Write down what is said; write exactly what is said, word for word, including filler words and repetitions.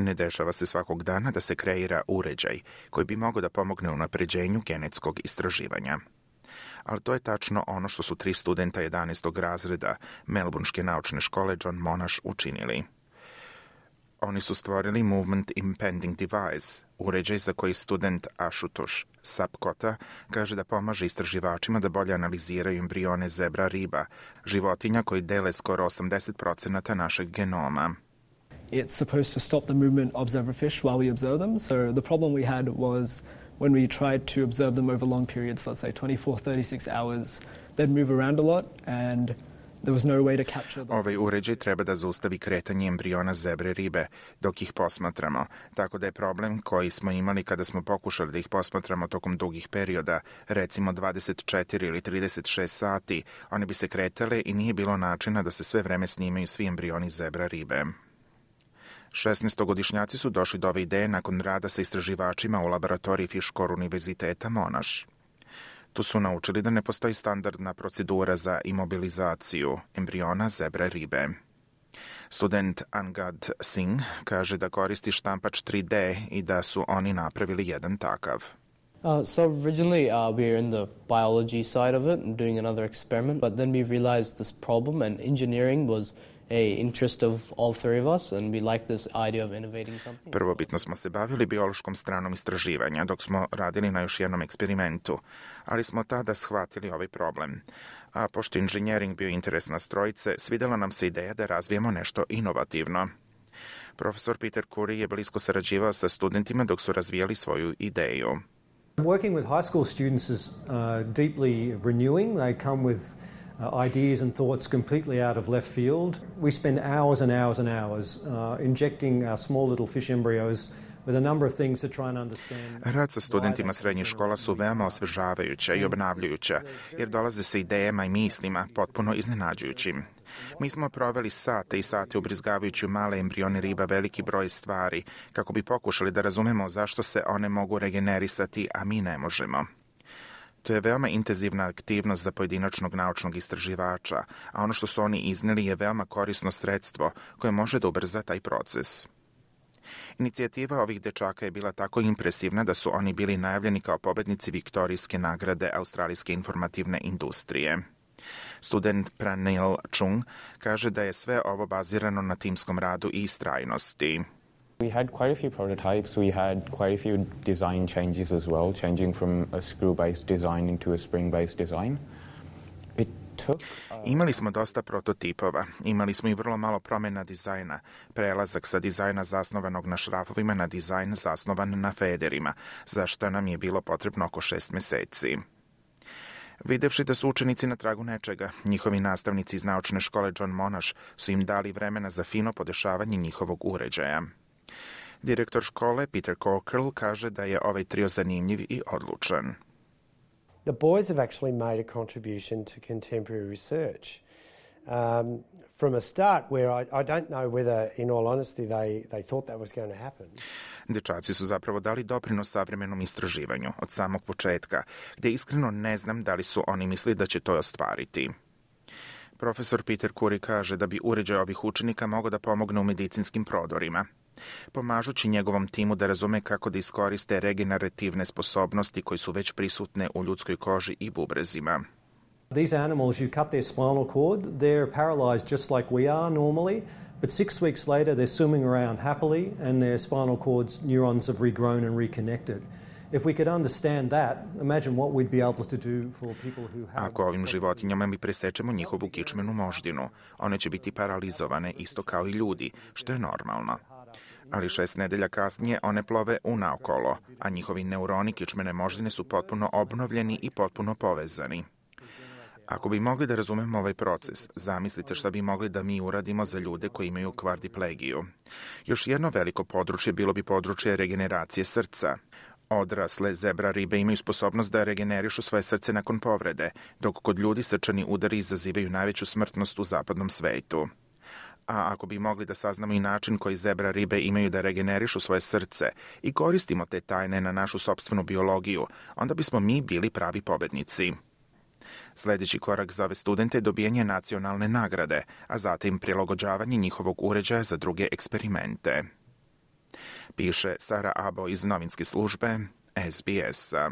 Ne dešava se svakog dana da se kreira uređaj koji bi mogao da pomogne u unapređenju genetskog istraživanja. Ali to je tačno ono što su tri studenta jedanaestog razreda Melbourneške naučne škole John Monash učinili. Oni su stvorili Movement Impending Device, uređaj za koji student Ashutosh Sapkota kaže da pomaže istraživačima da bolje analiziraju embrione zebra riba, životinja koji dele skoro osamdeset procenata našeg genoma. It's supposed to stop the movement of zebrafish while we observe them. So the problem we had was when we tried to observe them over long periods, let's say twenty-four, thirty-six hours, they'd move around a lot and there was no way to capture them. Ovaj uređaj treba da zaustavi kretanje embriona zebre ribe dok ih posmatramo, tako da je problem koji smo imali kada smo pokušali da ih posmatramo tokom dugih perioda, recimo dvadeset četiri ili trideset šest sati, one bi se kretale i nije bilo načina da se sve vreme snimaju svi embrioni zebra ribe. šesnaestogodišnjaci su došli do ove ideje nakon rada sa istraživačima u laboratoriji Fish-Core univerziteta Monash. Tu su naučili da ne postoji standardna procedura za imobilizaciju embriona zebre ribe. Student Angad Singh kaže da koristi štampač tri D i da su oni napravili jedan takav. Uh, so originally uh, we were in the biology side of it and doing another experiment, but then we realized this problem and engineering was a interest of all three of us and we liked this idea of innovating something. Prvobitno smo se bavili biološkom stranom istraživanja dok smo radili na još jednom eksperimentu, ali smo tada shvatili ovaj problem. A pošto inženjering bio interes nas trojice, svidela nam se ideja da razvijemo nešto inovativno. Profesor Peter Curry je blisko sarađivao sa studentima dok su razvijali svoju ideju. Working with high school students is uh, deeply renewing. They come with uh, ideas and thoughts completely out of left field. We spend hours and hours and hours uh, injecting our small little fish embryos with a number of things to try and understand. Rad sa studentima srednjih škola su veoma osvežavajuća i obnavljajuća, jer dolaze sa idejama i mislima potpuno iznenađujućim. Mi smo proveli sate i sate ubrizgavajući u male embrione riba veliki broj stvari, kako bi pokušali da razumemo zašto se one mogu regenerisati, a mi ne možemo. To je veoma intenzivna aktivnost za pojedinačnog naučnog istraživača, a ono što su oni izneli je veoma korisno sredstvo koje može da ubrza taj proces. Inicijativa ovih dečaka je bila tako impresivna da su oni bili najavljeni kao pobednici Viktorijske nagrade australijske informativne industrije. Student Pranil Chung kaže da je sve ovo bazirano na timskom radu i istrajnosti. We had quite a few prototypes. We had quite a few design changes as well, changing from a screw-based design into a spring-based design. It took, uh... Imali smo dosta prototipova, imali smo i vrlo malo promjena dizajna, prelazak sa dizajna zasnovanog na šrafovima na dizajn zasnovan na federima, za što nam je bilo potrebno oko šest meseci. Videvši da su učenici na tragu nečega, njihovi nastavnici iz naučne škole John Monash su im dali vremena za fino podešavanje njihovog uređaja. Direktor škole Peter Cockrell kaže da je ovaj trio zanimljiv i odlučan. The boys have actually made a contribution to contemporary research. Um, from a start where I, I don't know whether, in all honesty, they, they thought that was going to happen. Dečaci su zapravo dali doprinos savremenom istraživanju od samog početka, gdje iskreno ne znam da li su oni mislili da će to ostvariti. Profesor Peter Curry kaže da bi uređaj ovih učenika mogao da pomogne u medicinskim prodorima, pomažući njegovom timu da razume kako da iskoriste regenerativne sposobnosti koje su već prisutne u ljudskoj koži i bubrezima. These animals, you cut their spinal cord, they're paralyzed just like we are normally, but six weeks later they're swimming around happily and their spinal cord's neurons have regrown and reconnected. If we could understand that, imagine what we'd be able to do for people who have... Ako ovim životinjama mi presečemo njihovu kičmenu moždinu, one će biti paralizovane isto kao i ljudi, što je normalno. Ali šest nedelja kasnije one plove unaokolo, a njihovi neuroni kičmene moždine su potpuno obnovljeni i potpuno povezani. Ako bi mogli da razumemo ovaj proces, zamislite šta bi mogli da mi uradimo za ljude koji imaju kvadriplegiju. Još jedno veliko područje bilo bi područje regeneracije srca. Odrasle zebra ribe imaju sposobnost da regenerišu svoje srce nakon povrede, dok kod ljudi srčani udari izazivaju najveću smrtnost u zapadnom svetu. A ako bi mogli da saznamo i način koji zebra ribe imaju da regenerišu svoje srce i koristimo te tajne na našu sopstvenu biologiju, onda bismo mi bili pravi pobednici. Sljedeći korak za ove studente je dobijanje nacionalne nagrade, a zatim prilagođavanje njihovog uređaja za druge eksperimente. piše Sara Abo iz novinske službe S B S-a.